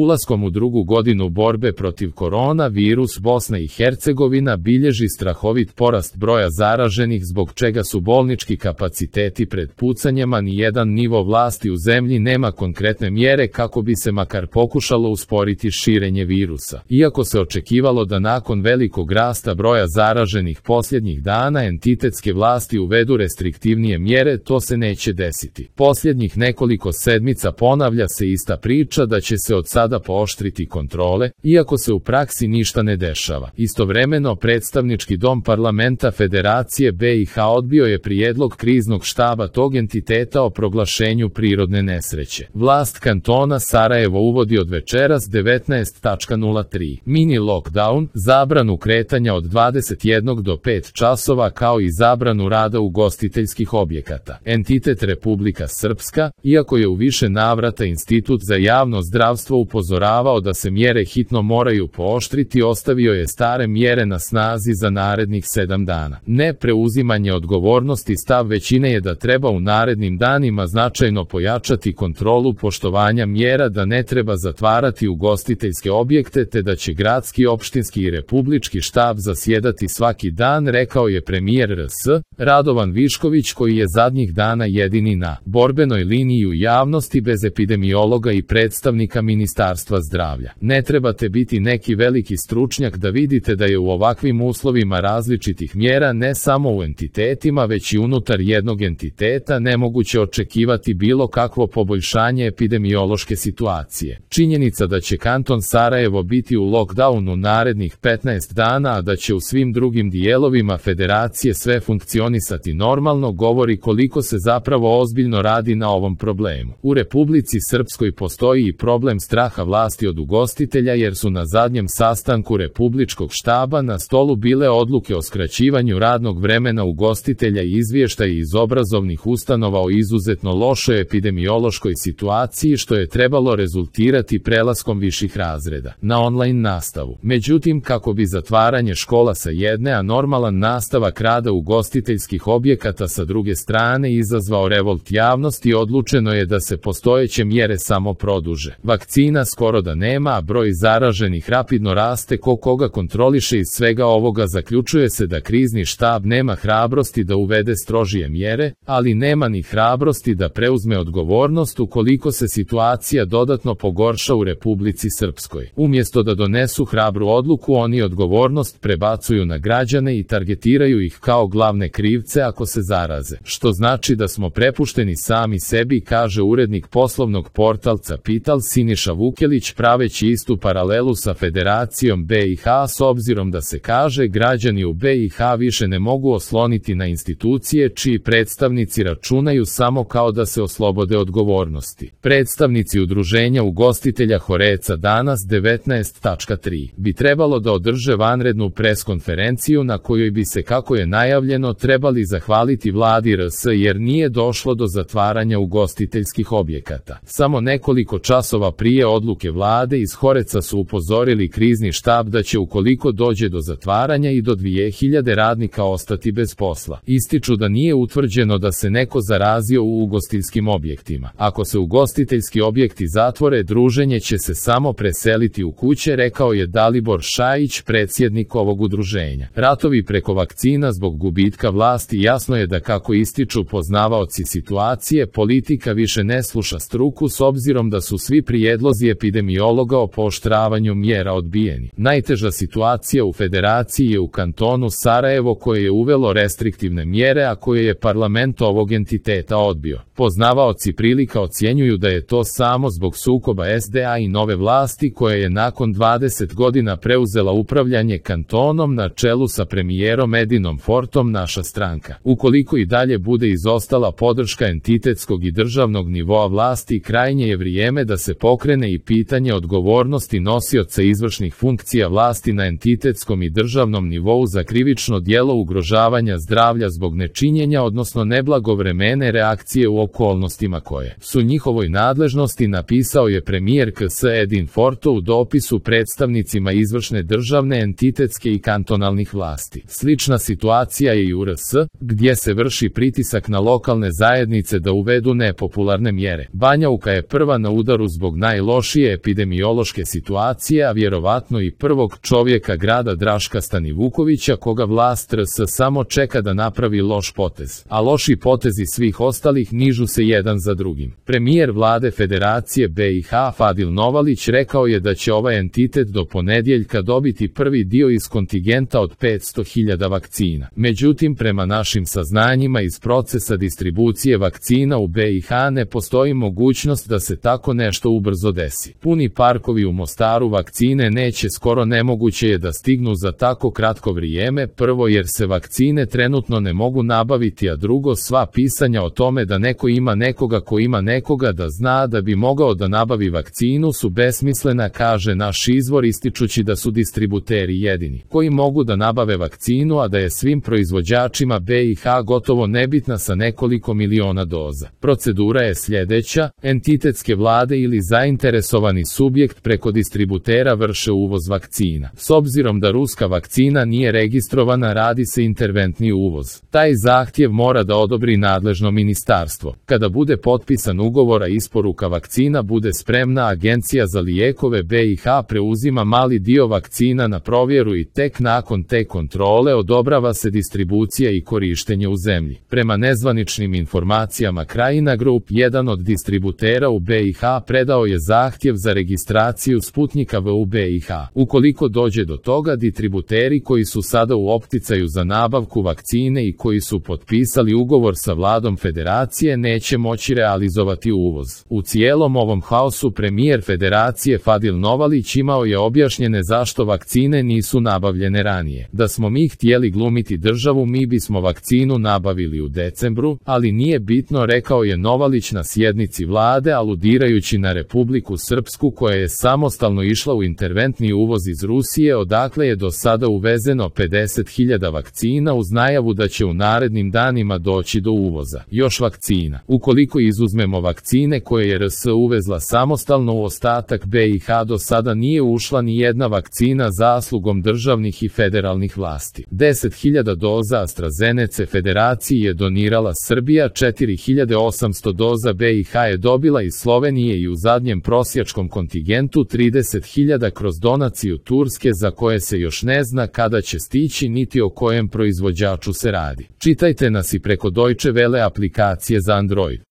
Ulaskom u drugu godinu borbe protiv koronavirus, Bosna i Hercegovina bilježi strahovit porast broja zaraženih, zbog čega su bolnički kapaciteti pred pucanjima. Nijedan nivo vlasti u zemlji nema konkretne mjere kako bi se makar pokušalo usporiti širenje virusa. Iako se očekivalo da nakon velikog rasta broja zaraženih posljednjih dana entitetske vlasti uvedu restriktivnije mjere, to se neće desiti. Posljednjih nekoliko sedmica ponavlja se ista priča da će se od sada pooštriti kontrole, iako se u praksi ništa ne dešava. Istovremeno, predstavnički dom parlamenta Federacije BiH odbio je prijedlog kriznog štaba tog entiteta o proglašenju prirodne nesreće. Vlast kantona Sarajevo uvodi od večeras 19:03 mini lockdown, zabranu kretanja od 21 do 5 časova kao i zabranu rada ugostiteljskih objekata. Entitet Republika Srpska, iako je u više navrata Institut za javno zdravstvo upozoravao da se mjere hitno moraju pooštriti, ostavio je stare mjere na snazi za narednih 7 dana. Ne preuzimanje odgovornosti. Stav većine je da treba u narednim danima značajno pojačati kontrolu poštovanja mjera, da ne treba zatvarati ugostiteljske objekte te da će gradski, opštinski i republički štab zasjedati svaki dan, rekao je premijer RS Radovan Višković, koji je zadnjih dana jedini na borbenoj liniji u javnosti bez epidemiologa i predstavnika Ministarstva zdravlja. Ne trebate biti neki veliki stručnjak da vidite da je u ovakvim uslovima različitih mjera ne samo u entitetima već i unutar jednog entiteta nemoguće očekivati bilo kakvo poboljšanje epidemiološke situacije. Činjenica da će kanton Sarajevo biti u lockdownu narednih 15 dana, a da će u svim drugim dijelovima federacije sve funkcionisati normalno, govori koliko se zapravo ozbiljno radi na ovom problemu. U Republici Srpskoj postoji i problem straha vlasti od ugostitelja, jer su na zadnjem sastanku republičkog štaba na stolu bile odluke o skraćivanju radnog vremena ugostitelja i izvještaji iz obrazovnih ustanova o izuzetno lošoj epidemiološkoj situaciji, što je trebalo rezultirati prelaskom viših razreda na online nastavu. Međutim, kako bi zatvaranje škola sa jedne, a normalan nastavak rada ugostiteljskih objekata sa druge strane izazvao revolt javnosti, odlučeno je da se postojeće mjere samo produže. Vakcina skoro da nema, a broj zaraženih rapidno raste. Koga kontroliše iz svega ovoga zaključuje se da krizni štab nema hrabrosti da uvede strožije mjere, ali nema ni hrabrosti da preuzme odgovornost ukoliko se situacija dodatno pogorša u Republici Srpskoj. Umjesto da donesu hrabru odluku, oni odgovornost prebacuju na građane i targetiraju ih kao glavne krivce ako se zaraze. Što znači da smo prepušteni sami sebi, kaže urednik poslovnog portalca Pital Siniša Vukelić, praveći istu paralelu sa Federacijom BiH, s obzirom da se kaže građani u BiH više ne mogu osloniti na institucije čiji predstavnici računaju samo kao da se oslobode odgovornosti. Predstavnici udruženja ugostitelja Horeca danas 19:03 bi trebalo da održe vanrednu preskonferenciju na kojoj bi se, kako je najavljeno, trebali zahvaliti vladi RS jer nije došlo do zatvaranja ugostiteljskih objekata. Samo nekoliko časova prije odluke vlade iz Horeca su upozorili krizni štab da će ukoliko dođe do zatvaranja i do 2000 radnika ostati bez posla. Ističu da nije utvrđeno da se neko zarazio u ugostiteljskim objektima. Ako se ugostiteljski objekti zatvore, druženje će se samo preseliti u kuće, rekao je Dalibor Šajić, predsjednik ovog udruženja. Ratovi preko vakcina zbog gubitka vlasti. Jasno je da, kako ističu poznavaoci situacije, politika više ne sluša struku, s obzirom da su svi prijedlozi epidemiologa o pooštravanju mjera odbijeni. Najteža situacija u federaciji je u kantonu Sarajevo, koje je uvelo restriktivne mjere, a koje je parlament ovog entiteta odbio. Poznavaoci prilika ocjenjuju da je to samo zbog sukoba SDA i nove vlasti, koja je nakon 20 godina preuzela upravljanje kantonom na čelu sa premijerom Edinom Fortom, naša stranka. Ukoliko i dalje bude izostala podrška entitetskog i državnog nivoa vlasti, krajnje je vrijeme da se pokrene i pitanje odgovornosti nosioca izvršnih funkcija vlasti na entitetskom i državnom nivou za krivično djelo ugrožavanja zdravlja zbog nečinjenja, odnosno neblagovremene reakcije u okolnostima koje su njihovoj nadležnosti, napisao je premijer KS Edin Forto u dopisu predstavnicima izvršne državne, entitetske i kantonalnih vlasti. Slična situacija je i u RS, gdje se vrši pritisak na lokalne zajednice da uvedu nepopularne mjere. Banja Luka je prva na udaru zbog najlošije lošije epidemiološke situacije, a vjerovatno i prvog čovjeka grada Draška Stanivukovića, koga vlast RS samo čeka da napravi loš potez. A loši potezi svih ostalih nižu se jedan za drugim. Premijer vlade Federacije BiH Fadil Novalić rekao je da će ovaj entitet do ponedjeljka dobiti prvi dio iz kontingenta od 500.000 vakcina. Međutim, prema našim saznanjima iz procesa distribucije vakcina u BiH ne postoji mogućnost da se tako nešto ubrzo desi. Puni parkovi u Mostaru vakcine neće, skoro nemoguće je da stignu za tako kratko vrijeme, prvo jer se vakcine trenutno ne mogu nabaviti, a drugo, sva pisanja o tome da neko ima nekoga ko ima nekoga da zna da bi mogao da nabavi vakcinu su besmislena, kaže naš izvor, ističući da su distributeri jedini koji mogu da nabave vakcinu, a da je svim proizvođačima BiH gotovo nebitna sa nekoliko miliona doza. Procedura je sljedeća: entitetske vlade ili zainteresovani subjekt preko distributera vrše uvoz vakcina. S obzirom da ruska vakcina nije registrovana, radi se interventni uvoz. Taj zahtjev mora da odobri nadležno ministarstvo. Kada bude potpisan ugovor, a isporuka vakcina bude spremna, Agencija za lijekove BiH preuzima mali dio vakcina na provjeru i tek nakon te kontrole odobrava se distribucija i korištenje u zemlji. Prema nezvaničnim informacijama Krajina Group, jedan od distributera u BiH, predao je zahtjev za registraciju Sputnika V u BiH. Ukoliko dođe do toga, distributeri koji su sada u opticaju za nabavku vakcine i koji su potpisali ugovor sa vladom Federacije neće moći realizovati uvoz. U cijelom ovom haosu premijer Federacije Fadil Novalić imao je objašnjene zašto vakcine nisu nabavljene ranije. Da smo mi htjeli glumiti državu, mi bismo vakcinu nabavili u decembru, ali nije bitno, rekao je Novalić na sjednici vlade, aludirajući na Republiku Srpsku koja je samostalno išla u interventni uvoz iz Rusije, odakle je do sada uvezeno 50.000 vakcina uz najavu da će u narednim danima doći do uvoza još vakcina. Ukoliko izuzmemo vakcine koje je RS uvezla samostalno, u ostatak BiH do sada nije ušla ni jedna vakcina zaslugom državnih i federalnih vlasti. 10.000 doza AstraZeneca Federaciji je donirala Srbija, 4.800 doza BiH je dobila iz Slovenije i u zadnjem prosječkom kontingentu 30.000 kroz donaciju Turske, za koje se još ne zna kada će stići niti o kojem proizvođaču se radi. Čitajte nas i preko Deutsche Welle aplikacije za Android.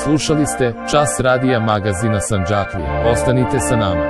Slušali ste Čas radija magazina Sandžaklija. Ostanite sa nama.